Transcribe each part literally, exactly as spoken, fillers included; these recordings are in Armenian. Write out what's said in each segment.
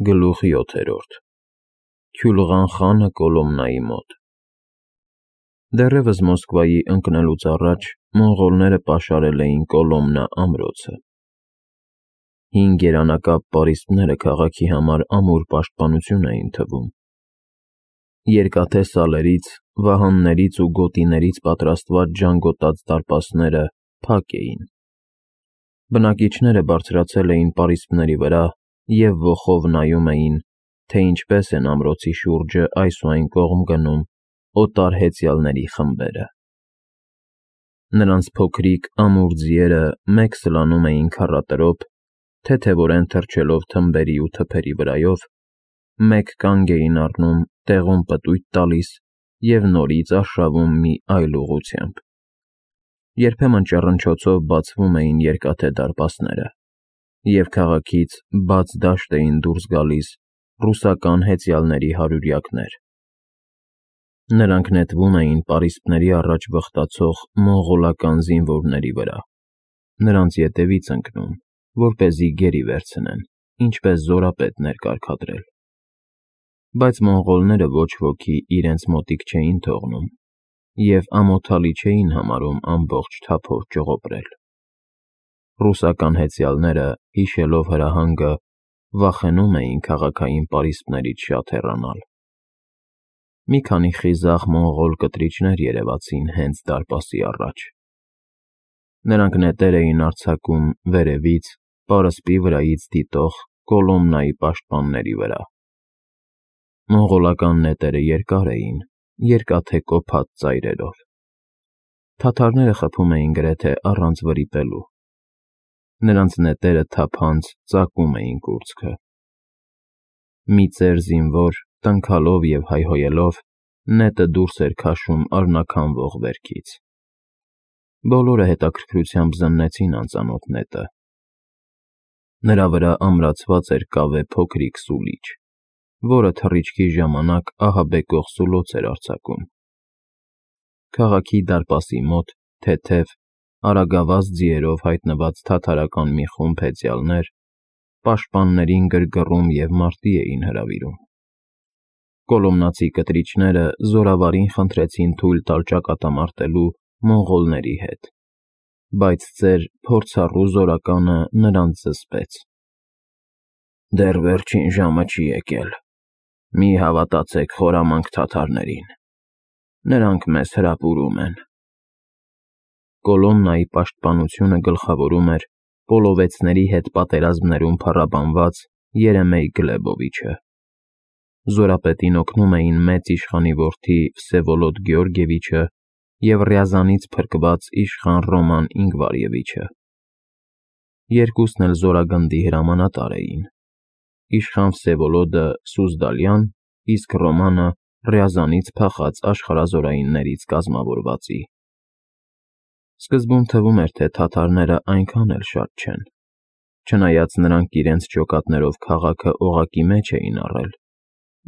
Գլուխ յոթերորդ Քյուլղան խանը Կոլոմնայի մոտ Դեռևս Մոսկվայի ընկնելուց առաջ մոնղոլները պաշարել էին Կոլոմնա ամրոցը։ Հին գերանակապ պարիսպները քաղաքի համար ամուր պաշտպանություն էին թվում։ Երկաթե սալերից, վահաններից ու գոտիներից պատրաստված ժանգոտած դարպասները փակ էին։ Բնակիչները բարձրացել էին պարիսպների վրա և ոխով նայում էին, թե ինչպես են ամրոցի շուրջը այս ու այն կողմ գնում օտար հեծյալների խմբերը։ Նրանց փոքրիկ ամուր ձիերը մեկ սլանում էին քառատրոփ, թեթևորեն թռչելով թմբերի ու թփերի վրայով, մեկ կանգ էին առնում տեղում պտույտ տալիս և նորից արշավում մի այլ ուղղությամբ։ Երբեմն ճռնչոցով բացվում էին երկաթե դարպասները, և քաղաքից բաց դաշտ էին դուրս գալիս ռուսական հեծյալների հարյուրյակներ։ Նրանք նետվում էին պարիսպների առաջ վխտացող մոնղոլական զինվորների վրա, նրանց ետևից ընկնում, որպեսզի գերի վերցնեն, ինչպես զորապետն էր կարգադրել։ Բայց մոնղոլները ոչ ոքի իրենց մոտիկ չէին թողնում և ամոթալի չէին համարում ամբողջ թափով ճողոպրել։ Ռուսական հեծյալները, հիշելով հրահանգը, վախենում էին քաղաքային պարիսպներից շատ հեռանալ։ Մի քանի խիզախ մոնղոլ կտրիչներ երևացին հենց դարպասի առաջ։ Նրանք նետեր էին արձակում վերևից, պարսպի վրայից դիտող Կոլոմնայի պաշտպանների վրա։ Մոնղոլական նետերը երկար էին, երկաթե կոփած ծայրերով։ Թաթարները խփում էին գրեթե առանց վրիպելու։ Նրանց նետերը թափանց ծակում էին կուրծքը։ Մի ծեր զինվոր, տնքալով և հայհոյելով, նետը դուրս էր քաշում արնաքանվող վերքից։ Բոլորը հետաքրքրությամբ զննեցին անծանոթ նետը։ Նրա վրա ամրացված էր կավե փոքրիկ սուլիչ, որը թռիչքի ժամանակ ահաբեկող սուլոց էր արձակում։ Քաղաքի դարպասի մոտ թեթև, արագավազ ձիերով հայտնված թաթարական մի խումբ հեծյալներ պաշտպաններին գրգռում և մարտի էին հրավիրում։ Կոլոմնացի կտրիչները զորավարին խնդրեցին թույլ տալ ճակատամարտելու մոնղոլների հետ, բայց ծեր փորձառու զորականը նրանց զսպեց։ Դեռ վերջին ժամը չի եկել, մի հավատացեք խորամանկ թաթարներին, նրանք մեզ հրապուրում են։ Կոլոմնայի պաշտպանությունը գլխավորում էր պոլովեցների հետ պատերազմներում փառաբանված Երեմեյ Գլեբովիչը։ Զորապետին օգնում էին մեծ իշխանի որդի Վսևոլոդ Գեորգիևիչը և Ռյազանից փրկված իշխան Ռոման Ինգվարևիչը։ Երկուսն էլ զորագնդի հրամանատար էին։ Իշխան Վսևոլոդը Սուզդալյան, իսկ Ռոմանը Ռյազանից փախած աշխարհազորայիններից կազմավորվածի։ Սկզբում թվում էր, թե թաթարները այնքան էլ շատ չեն, չնայած նրանք իրենց ջոկատներով քաղաքը օղակի մեջ էին առել,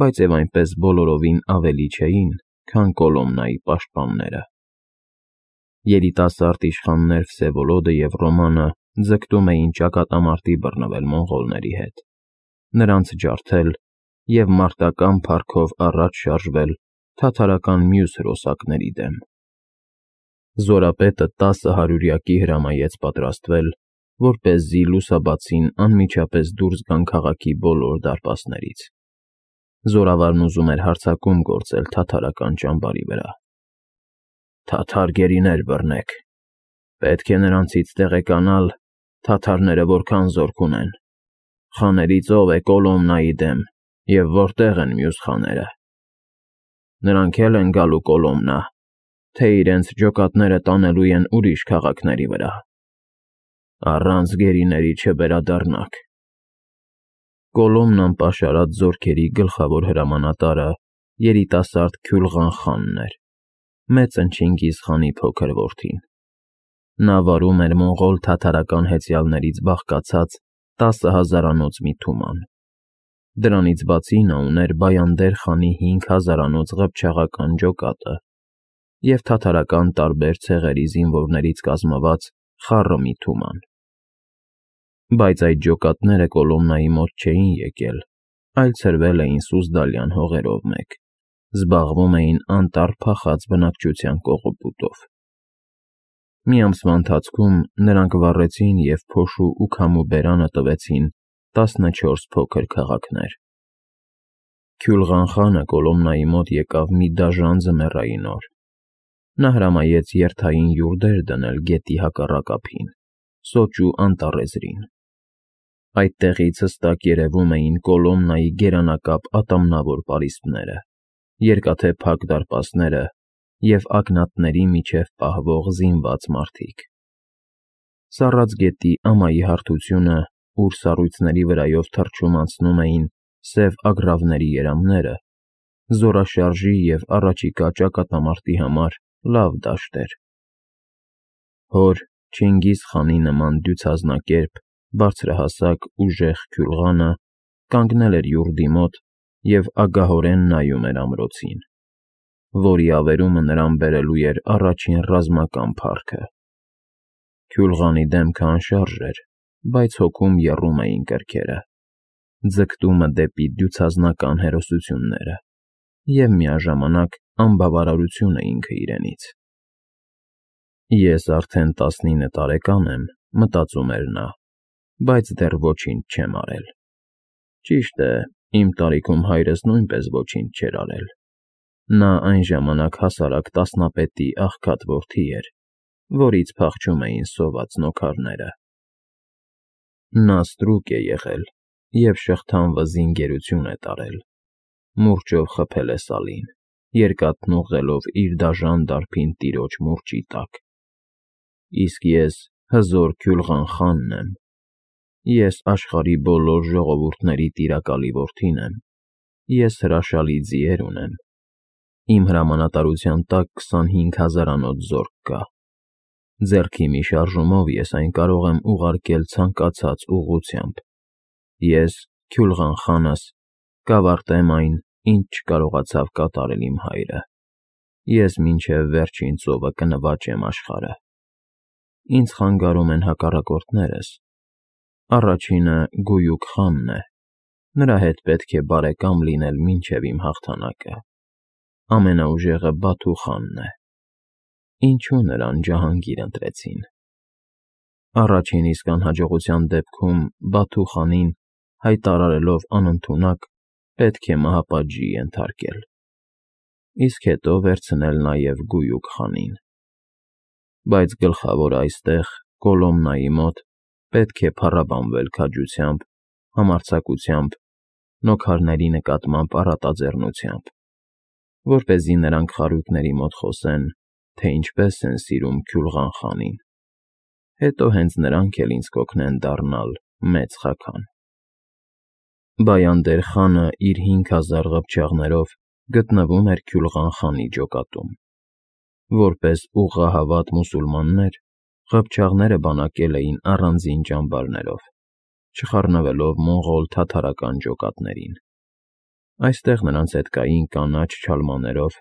բայց և այնպես բոլորովին ավելի չէին, քան Կոլոմնայի պաշտպանները։ Երիտասարդ իշխաններ Վսևոլոդը և Ռոմանը ձգտում էին ճակատամարտի բռնվել մոնղոլների հետ, նրանց ջարդել և մարտական փառքով առաջ շարժվել թաթարական մյուս հրոսակների դեմ։ Զորապետը տասը հարյուրյակի հրամայեց պատրաստվել, որպեսզի լուսաբացին անմիջապես դուրս գան քաղաքի բոլոր դարպասներից։ Զորավարն ուզում էր հարձակում գործել թաթարական ճամբարի վրա։ Թաթար գերիներ բռնեք, պետք է նրանցից տեղեկանալ թաթարները որքան զորք ունեն, խաներից ով է Կոլոմնայի դեմ և որտեղ են մյուս խաները։ Նրանք էլ են գալու Կոլոմնա, թե իրենց ջոկատները տանելու են ուրիշ քաղաքների վրա։ Առանց գերիների չվերադառնաք։ Կոլոմնան պաշարած զորքերի գլխավոր հրամանատարը երիտասարդ Քյուլղան խանն էր, մեծն Չինգիզ խանի փոքր որդին։ Նա վարում էր մոնղոլ թաթարական հեծյալներից բաղկացած տասը հազարանոց մի թուման։ Դրանից բացի նա ուներ Բայանդեր խանի հինգ հազարանոց ղփչաղական ջոկատը և թաթարական տարբեր ցեղերի զինվորներից կազմված խառը մի թուման։ Բայց այդ ջոկատները Կոլոմնայի մոտ չէին եկել, այլ ցրվել էին Սուզդալյան հողերով մեկ, զբաղվում էին անտառ փախած բնակչության կողոպուտով։ Մի ամսվա ընթացքում նրանք վառեցին և փոշու ու քամու բերանը տվեցին տասնչորս փոքր քաղաքներ։ Քյուլղան խանը Կոլոմնայի մոտ եկավ մի դաժան ձմեռային օր։ Նա հրամայեց երթային յուրդեր դնել գետի հակառակ ափին, սոճու անտառեզրին։ Այդտեղից հստակ երևում էին Կոլոմնայի գերանակապ ատամնավոր պարիսպները, երկաթե փակ դարպասները և ակնատների միջև պահվող զինված մարդիկ։ Սառած գետի ամայի հարթությունը, ուր սառույցների վրայով թռչում անցնում էին սև ագռավների երամները, զորաշարժի և առաջիկա ճակատամարտի համար լավ դաշտ էր։ Հոր Չինգիզ խանի նման դյուցազնակերպ, բարձրահասակ, ուժեղ Քյուլղանը կանգնել էր յուրդի մոտ և ագահորեն նայում էր ամրոցին, որի ավերումը նրան բերելու էր առաջին ռազմական փառքը։ Քյուլղանի դեմքը անշարժ էր, բայց հոգում եռում էին կրքերը, ձգտումը դեպի դյուցազնական հերոսությունները և միաժամանակ անբավարարությունը ինքը իրենից։ «Ես արդեն տասնինը տարեկան եմ,» մտածում էր նա, «բայց դեռ ոչինչ չեմ արել։ Ճիշտ է, իմ տարիքում հայրս նույնպես ոչինչ չէր արել։ Նա այն ժամանակ հասարակ տասնապետի աղքատ որդի էր, որից փախչում էին սոված նոքարները։ Նա ստրուկ է եղել և շղթան վզին գերություն է տարել, մուրճով խփել է Սալին, երկաթն ուղղելով իր դաժան դարբին տիրոջ մուրճի տակ։ Իսկ ես հզոր Քյուլղան խանն եմ։ Ես աշխարհի բոլոր ժողովուրդների տիրակալի որդին եմ։ Ես հրաշալի ձիեր ունեմ։ Իմ հրամանատարության տակ քսանհինգ հազարանոց զորք կա։ Ձեռքի մի շարժումով ես այն կարող եմ ուղարկել ցանկացած ուղղությամբ։ Ես, Քյուլղան խանս, կավարտեմ այն, ինչ չկարողացավ կատարել իմ հայրը։ Ես մինչև վերջին ծովը կնվաճեմ աշխարհը։ Ինձ խանգարում են հակառակորդներս։ Առաջինը Գույուկ խանն է։ Նրա հետ պետք է բարեկամ լինել մինչև իմ հաղթանակը։ Ամենաուժեղը Բաթու խանն է։ Ինչու նրան Ջահանգիր ընտրեցին։ Առաջին իսկ անհաջողության դեպքում Բաթու խանին, հայտարարելով անընդունակ, պետք է մահապատժի ենթարկել, իսկ հետո վերցնել նաև Գույուկ խանին։ Բայց գլխավորը այստեղ, Կոլոմնայի մոտ, պետք է փառաբանվել քաջությամբ, համարձակությամբ, նոքարների նկատմամբ առատաձեռնությամբ, որպեսզի նրանք խարույկների մոտ խոսեն, թե ինչպես են սիրում Քյուլղան խանին։ Հետո հենց նրանք էլ ինձ կօգնեն դառնալ մեծ խաքան։ Բայանդեր խանը իր հինգ հազար ղփչաղներով գտնվում էր Քյուլղան խանի ջոկատում։ Որպես ուղղահավատ մուսուլմաններ, ղփչաղները բանակել էին առանձին ճամբարներով, չխառնվելով մոնղոլ֊թաթարական ջոկատներին։ Այստեղ նրանց հետ կային կանաչ չալմաներով,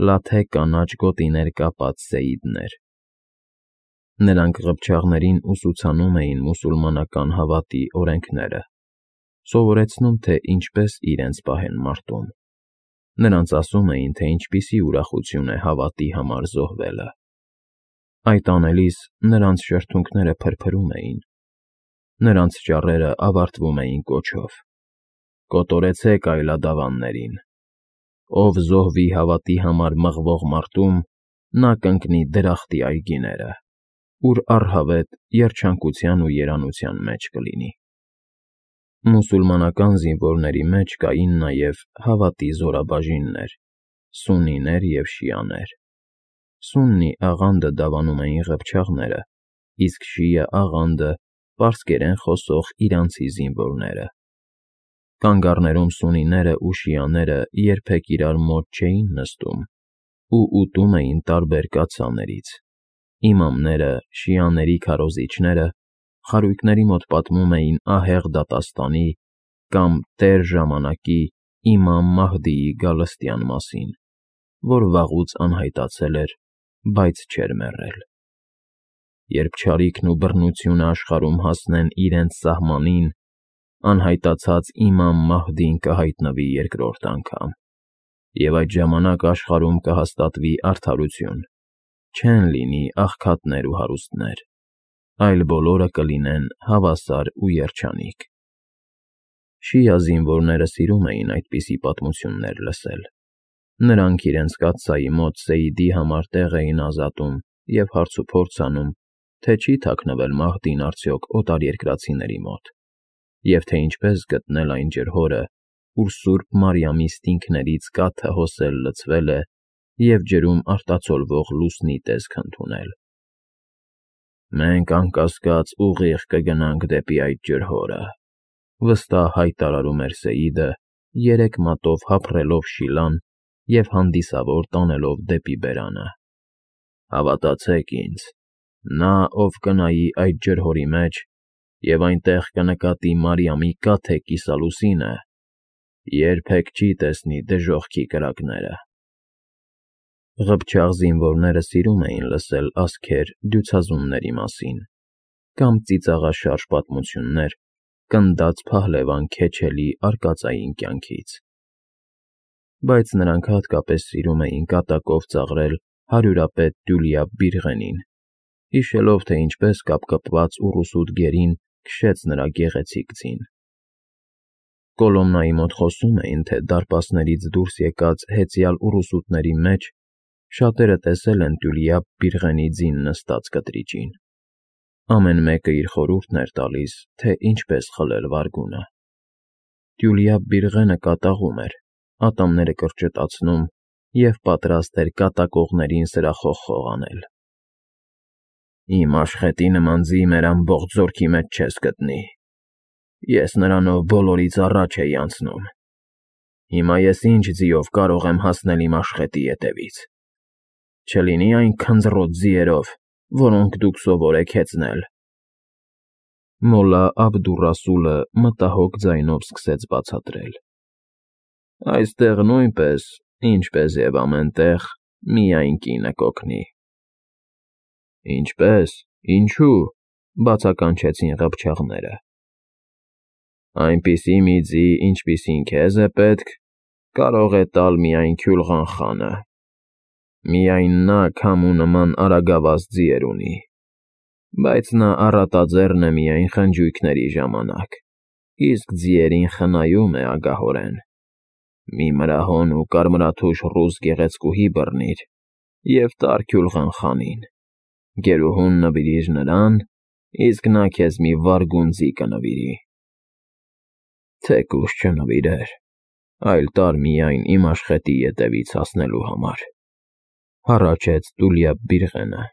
լաթե կանաչ գոտիներ կապած սեիդներ։ Նրանք ղփչաղներին ուսուցանում էին մուսուլմանական հավատի օրենքները, սովորեցնում, թե ինչպես իրենց պահեն մարտում։ Նրանց ասում էին, թե ինչպիսի ուրախություն է հավատի համար զոհվելը։ Այդ անելիս նրանց շրթունքները փրփրում էին։ Նրանց ճառերը ավարտվում էին կոչով. «Կոտորեցեք այլադավաններին։ Ով զոհվի հավատի համար մղվող մարտում, նա կընկնի դրախտի այգիները, ուր առհավետ երջանկության ու երանության մեջ կլինի»։ Մուսուլմանական զինվորների մեջ կային նաև հավատի զորաբաժիններ՝ սուննիներ և շիաներ։ Սուննի աղանդը դավանում էին ղփչաղները, իսկ շիա աղանդը՝ պարսկերեն խոսող իրանցի զինվորները։ Կանգառներում սուննիները ու շիաները երբեք իրար մոտ չէին նստում ու ուտում էին տարբեր կաթսաներից։ Իմամները, շիաների քարոզիչները խարույկների մոտ պատմում էին ահեղ դատաստանի կամ տեր ժամանակի իմամ Մահդիի գալստյան մասին, որ վաղուց անհայտացել էր, բայց չէր մեռել։ Երբ չարիքն ու բռնությունը աշխարհում հասնեն իրենց սահմանին, անհայտացած Իմամ Մահդին կհայտնվի երկրորդ անգամ, և այդ ժամանակ աշխարհում կհաստատվի արդարություն, չեն լինի աղքատներ ու հարուստներ, այլ բոլորը կլինեն հավասար ու երջանիկ։ Շիա զինվորները սիրում էին այդպիսի պատմություններ լսել։ Նրանք իրենց կաթսայի մոտ Սեյիդի համար տեղ էին ազատում և հարցուփորձ անում, թե չի թաքնվել Մահդին արդյոք օտարերկրացիների մոտ, և թե ինչպես գտնել այն ջրհորը, ուր Սուրբ Մարիամի ստինքներից կաթը հոսել լցվել է և ջրում արտացոլվող լուսնի տեսք ընդունել։ «Մենք անկասկած ուղիղ կգնանք դեպի այդ ջրհորը», վստահ հայտարարում էր Սեյիդը, երեք մատով հափռելով Շիլան և հանդիսավոր տանելով դեպի բերանը։ «Հավատացեք ինձ, նա, ով կնայի այդ ջրհորի մեջ և այնտեղ կնկատի Մարիամի կաթե կիսալուսինը, երբեք չի տեսնի դժոխքի կրակները»։ Ղփչաղ զինվորները սիրում էին լսել ասքեր դյուցազունների մասին կամ ծիծաղաշարժ պատմություններ կնդած փահլևան քեչելի արկածային կյանքից, բայց նրանք հատկապես սիրում էին կատակով ծաղրել հարյուրապետ Դյուլիա Բիրղենին, հիշելով, թե ինչպես կապկպված ուռուսուտ գերին քշեց նրա գեղեցիկ ձին։ Կոլոմնայի մոտ խոսում էին, թե դարպասներից դուրս եկած հեծյալ ուռուսուտների մեջ շատերը տեսել են Դյուլիա Բիրղենի ձին նստած կտրիճին։ Ամեն մեկը իր խորհուրդն էր տալիս, թե ինչպես խլել վարգունը։ Դյուլիա Բիրղենը կատաղում էր, ատամները կրճտացնում և պատրաստ էր կատակողներին սրախողխող անել։ «Իմ աշխատի նման ձի մեր ամբողջ զորքի մեջ չես գտնի։ Ես նրանով բոլորից առաջ էի անցնում։ Հիմա ես ինչ ձիով կարող եմ հասնել իմ աշխատի ետևից։ Չլինի այն քնձռոտ ձիերով, որոնք դուք սովոր եք հեծնել»։ Մոլլա Աբդուռասուլը մտահոգ ձայնով սկսեց բացատրել. «Այստեղ նույնպես, ինչպես և ամեն տեղ, միայն կինը կօգնի»։ «Ինչպե՞ս, ինչու՞», բացականչեցին ղփչաղները։ «Այնպիսի մի ձի, ինչպիսին քեզ է պետք, կարող է տալ միայն Քյուլղան խանը։ Միայն նա քամու նման արագավազ ձիեր ունի, բայց նա առատաձեռն է միայն խնջույքների ժամանակ, իսկ ձիերին խնայում է ագահորեն։ Մի մրահոն ու կարմրաթուշ ռուս գեղեցկուհի բռնիր և տար Քյուլղան խանին, գերուհուն նվիրիր նրան, իսկ նա քեզ մի վարգուն ձի կնվիրի։ Թեկուզ չնվիրեր, այլ տար միայն իմ աշխատի ետևից հասնելու համար», հառաչեց Դյուլիա Բիրղենը։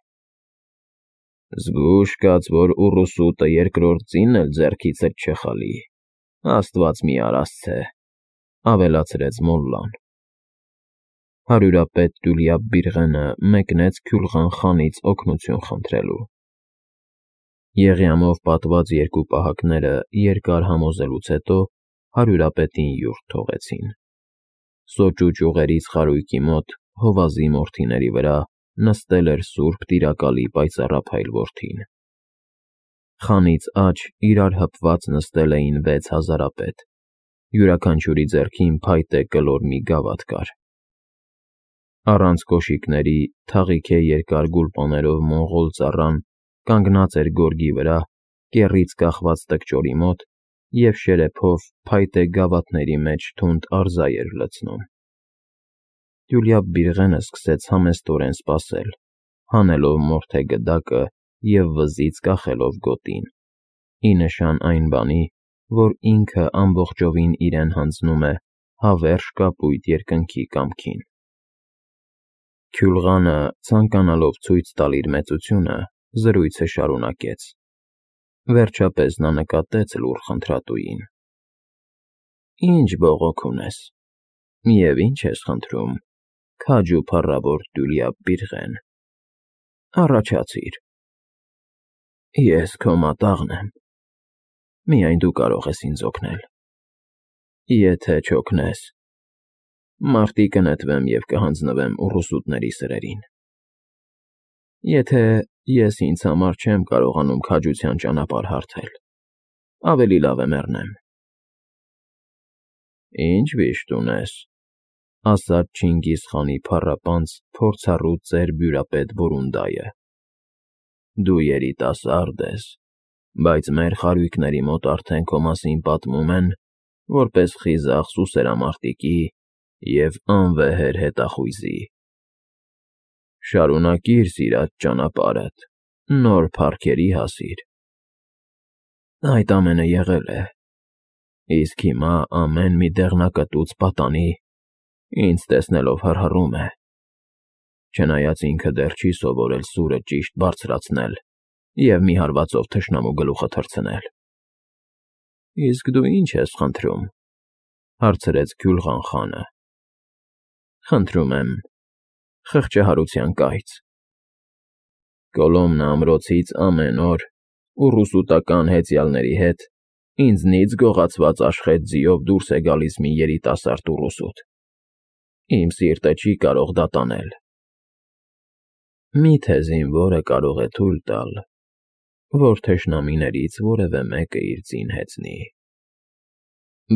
«Զգույշ կաց, որ ուռուսուտը երկրորդ ձինն էլ ձեռքիցդ չխլի, աստված մի արասցե», ավելացրեց մոլլան։ Հարյուրապետ Դյուլիա Բիրղենը մեկնեց Քյուլղան խանից օգնություն խնդրելու։ Եղյամով պատված երկու պահակները երկար համոզելուց հետո հարյուրապետին յուրթ թողեցին։ Սոճու ճյուղերից խարույկի մոտ, հովազի մորթիների վրա, նստել էր Սուրբ Տիրակալի պայծառափայլ որդին։ Խանից աջ իրար հպված նստել էին վեց հազարապետ, յուրաքանչյուրի ձեռքին փայտե կլոր մի գավաթ կար։ Առանց կոշիկների, թաղիքե երկար գուլպաներով մոնղոլ ծառան կանգնած էր գորգի վրա, կեռից կախված տկճորի մոտ և շերեփով փայտե գավաթների մեջ թունդ արծա էր լցնում։ Դյուլիա Բիրղենը սկսեց համեստորեն սպասել, հանելով մորթե գդակը և վզից կախելով գոտին, ի նշան այն բանի, որ ինքը ամբողջովին իրեն հանձնում է հավերժ կապույտ երկնքի կամքին։ Քյուլղանը, ցանկանալով ցույց տալ իր մեծությունը, զրույցը շարունակեց։ Վերջապես նա նկատեց լուռ խնդրատուին։ «Ինչ բողոք ունես, և ինչ ես խնդրում, քաջ ու փառավոր Դյուլիա Բիրղեն, առաջացիր»։ «Ես քո մատաղն եմ, միայն դու կարող ես ինձ օգնել։ Եթե չօգնես, մարտի կնետվեմ և կհանձնվեմ ուռուսուտների սրերին։ Եթե ես ինձ համար չեմ կարողանում քաջության ճանապարհ հարթել, ավելի լավ է մեռնեմ»։ Ինչ վիշտ ունես, ասաց Չինգիզ խանի փառապանծ, փորձառու ծեր բյուրապետ Բորունդայը։ Դու երիտասարդ ես, բայց մեր խարույկների մոտ արդեն քո մասին պատմում են, որպես խիզախ սուսերամարտիկի և անվեհեր հետախույզի։ Շարունակիր սիրած ճանապարհդ, նոր փառքերի հասիր։ Այդ ամենը եղել է, իսկ հիմա ամեն մի դեղնակտուց պատանի ինձ տեսնելով հռհռում է, չնայած ինքը դեռ չի սովորել սուրը ճիշտ բարձրացնել և մի հարվածով թշնամու գլուխը թռցնել։ ֊ Իսկ դու ի՞նչ ես խնդրում,֊ հարցրեց Քյուլղան խանը։ ֊ Խնդրում եմ խղճահարության կայծ։ Կոլոմնա ամրոցից ամեն օր ուռուսուտական հեծյալների հետ ինձնից գողացված աշխեհ ձիով դուրս է գալիս մի երիտասարդ ուռուսուտ։ Իմ սիրտը չի կարող դա տանել։ Մի՞թե զինվորը կարող է թույլ տալ, որ թշնամիներից որևէ մեկը իր ձին հեծնի։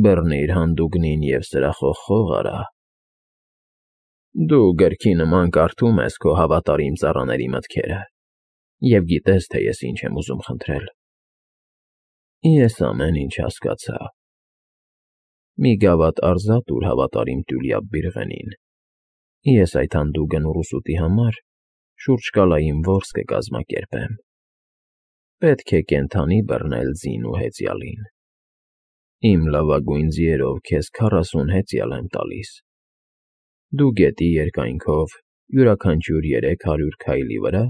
Բռնիր հանդուգնին և սրախոխ արա։ Դու գրքի նման կարդում ես քո հավատարիմ ծառաների մտքերը և գիտես, թե ես ինչ եմ ուզում խնդրել։ Ես ամեն ինչ հասկացա։ Մի գավաթ արծաթ տուր հավատարիմ Տյուլիապ Բիրղենին։ Ես այդ հանդուգն ուռուսուտի համար շուրջկալային որս կկազմակերպեմ։ Պետք է կենդանի բռնել ձին ու հեծյալին։ Իմ լավագույն ձիերով քեզ քառասուն հեծյալ եմ տալիս։ Դու գետի երկայնքով յուրաքանչյուր երեք հարյուր քայլի վրա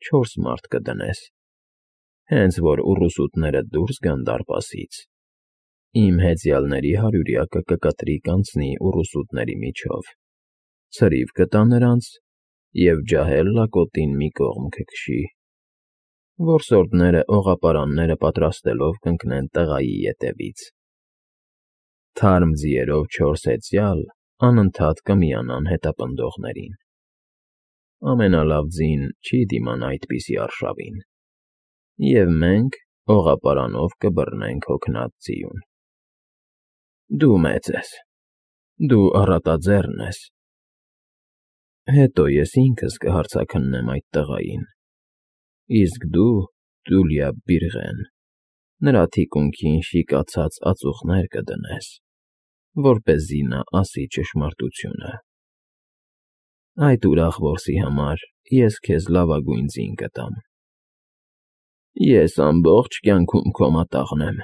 չորս մարդ կդնես, հենց որ ուռուսուտները դուրս գան դարպասից։ Իմ հեծյալների հարյուրյակը կկտրիկ անցնի ուռուսուտների միջով, ցրիվ կտա նրանց և ջահել լակոտին մի կողմ կքշի։ Որսորդները օղապարանները պատրաստելով կընկնեն տղայի ետևից։ Թարմ ձիերով չորս հեծյալ անընդհատ կմիանան հետապնդողներին։ Ամենալավ ձին չի դիմանա այդպիսի արշավին, և մենք օղապարանով կբռնենք հոգնած ձիուն։ Դու մեծ ես, դու առատաձեռն ես։ Հետո ես ինքս կհարձաքննեմ այդ տղային, իսկ դու, Տյուլիապ Բիրղեն, նրա թիկունքին շիկացած ածուխներ կդնես, որպեսզի նա ասի ճշմարտությունը։ Այդ ուրախ որսի համար ես քեզ լավագույն ձին կտամ։ Ես ամբողջ կյանքում քո մատաղն եմ։